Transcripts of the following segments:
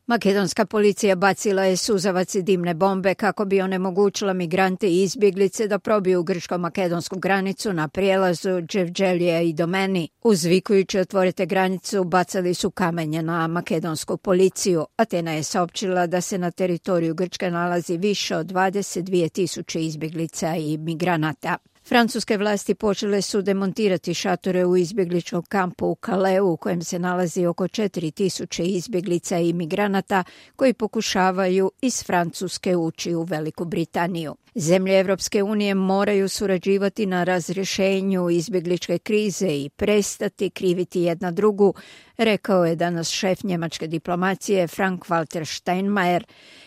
Makedonska policija bacila je suzavac i dimne bombe kako bi onemogućila migrante i izbjeglice da probiju grčko-makedonsku granicu na prijelazu Dževđelija i Domeni. Uzvikujući otvorite granicu, bacali su kamenje na makedonsku policiju. Atena je saopćila da se na teritoriju Grčke nalazi više od 22.000 izbjeglica i migranata. Francuske vlasti počele su demontirati šatore u izbjegličkom kampu u Calaisu u kojem se nalazi oko 4.000 izbjeglica i migranata koji pokušavaju iz Francuske ući u Veliku Britaniju. Zemlje Evropske unije moraju surađivati na razrješenju izbjegličke krize i prestati kriviti jedna drugu, rekao je danas šef njemačke diplomacije Frank-Walter Steinmeier.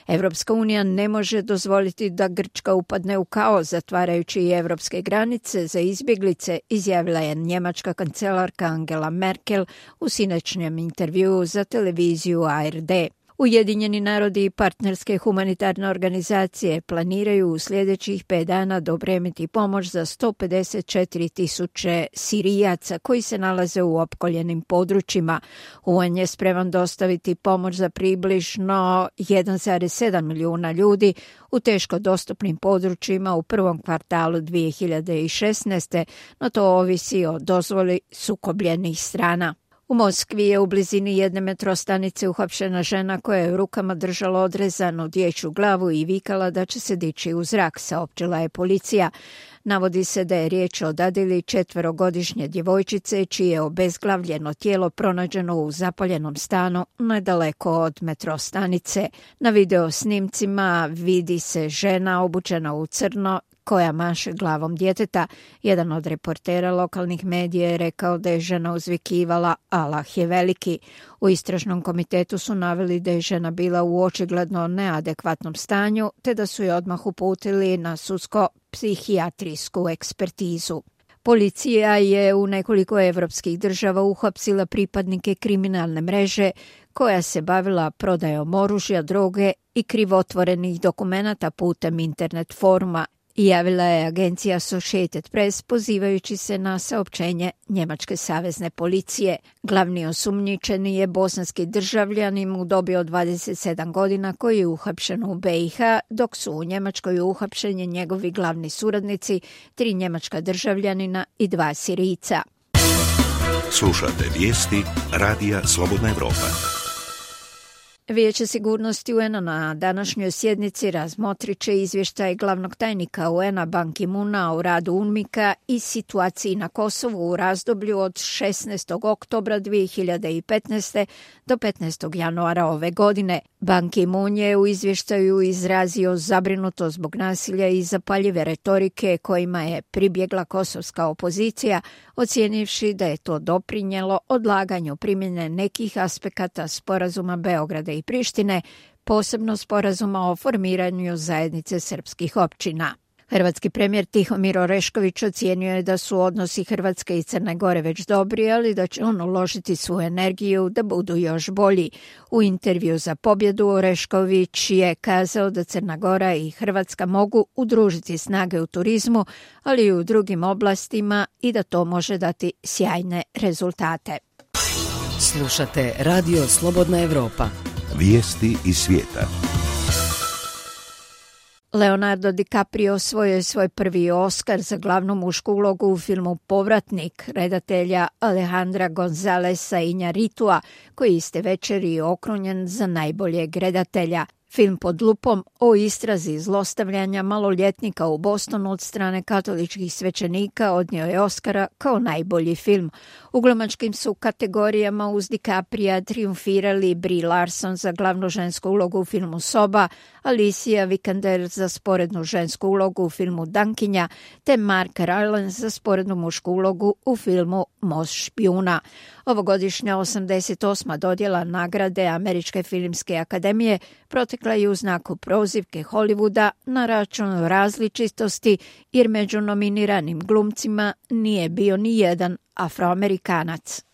Evropska unija ne može dozvoliti da Grčka upadne u kaos zatvarajući i evropske granice za izbjeglice, izjavila je njemačka kancelarka Angela Merkel u sinoćnjem intervjuu za televiziju ARD. Ujedinjeni narodi i partnerske humanitarne organizacije planiraju u sljedećih 5 dana dopremiti pomoć za 154.000 Sirijaca koji se nalaze u opkoljenim područjima. UN je spreman dostaviti pomoć za približno 1,7 milijuna ljudi u teško dostupnim područjima u prvom kvartalu 2016. No to ovisi o dozvoli sukobljenih strana. U Moskvi je u blizini jedne metrostanice uhapšena žena koja je u rukama držala odrezanu dječju glavu i vikala da će se dići u zrak, saopćila je policija. Navodi se da je riječ o dadilji 4-godišnje djevojčice čije je obezglavljeno tijelo pronađeno u zapaljenom stanu nedaleko od metrostanice. Na video snimcima vidi se žena obučena u crno koja maše glavom djeteta. Jedan od reportera lokalnih medija je rekao da je žena uzvikivala Allah je veliki. U istražnom komitetu su naveli da je žena bila u očigledno neadekvatnom stanju te da su je odmah uputili na sudsko-psihijatrijsku ekspertizu. Policija je u nekoliko evropskih država uhapsila pripadnike kriminalne mreže koja se bavila prodajom oružja, droge i krivotvorenih dokumenata putem internet foruma, javila je agencija Associated Press pozivajući se na saopćenje njemačke savezne policije. Glavni osumnjičeni je bosanski državljanin u dobi od 27 godina koji je uhapšen u BiH, dok su u Njemačkoj uhapšeni njegovi glavni suradnici, 3 njemačka državljanina i 2 Sirijca. Slušate vijesti Radija Slobodna Evropa. Vijeće sigurnosti UN-a na današnjoj sjednici razmotrit će izvještaj glavnog tajnika UN-a Ban Ki-moona o radu UNMIK-a i situaciji na Kosovu u razdoblju od 16. oktobra 2015. do 15. januara ove godine. Ban Ki-moon je u izvještaju izrazio zabrinutost zbog nasilja i zapaljive retorike kojima je pribjegla kosovska opozicija, ocijenivši da je to doprinijelo odlaganju primjene nekih aspekata sporazuma Beograda i Prištine, posebno sporazuma o formiranju zajednice srpskih općina. Hrvatski premijer Tihomir Orešković ocijenio je da su odnosi Hrvatske i Crne Gore već dobri, ali da će on uložiti svu energiju da budu još bolji. U intervju za Pobjedu Orešković je kazao da Crna Gora i Hrvatska mogu udružiti snage u turizmu, ali i u drugim oblastima i da to može dati sjajne rezultate. Slušate Radio Slobodna Evropa. Vijesti iz svijeta. Leonardo DiCaprio osvojio je svoj prvi Oskar za glavnu mušku ulogu u filmu Povratnik redatelja Alejandra Gonzalesa Iñárritua, koji iste večeri okrunjen za najboljeg redatelja. Film Pod lupom o istrazi zlostavljanja maloljetnika u Bostonu od strane katoličkih svećenika odnio je Oskara kao najbolji film. U glumačkim su kategorijama uz DiCaprija triumfirali Brie Larson za glavnu žensku ulogu u filmu Soba, Alicia Vikander za sporednu žensku ulogu u filmu Dankinja, te Mark Rylance za sporednu mušku ulogu u filmu Most špijuna. Ovogodišnja 88. dodjela nagrade Američke filmske akademije protekla je u znaku prozivke Hollywooda na račun različitosti, jer među nominiranim glumcima nije bio ni jedan Afroamerikanac.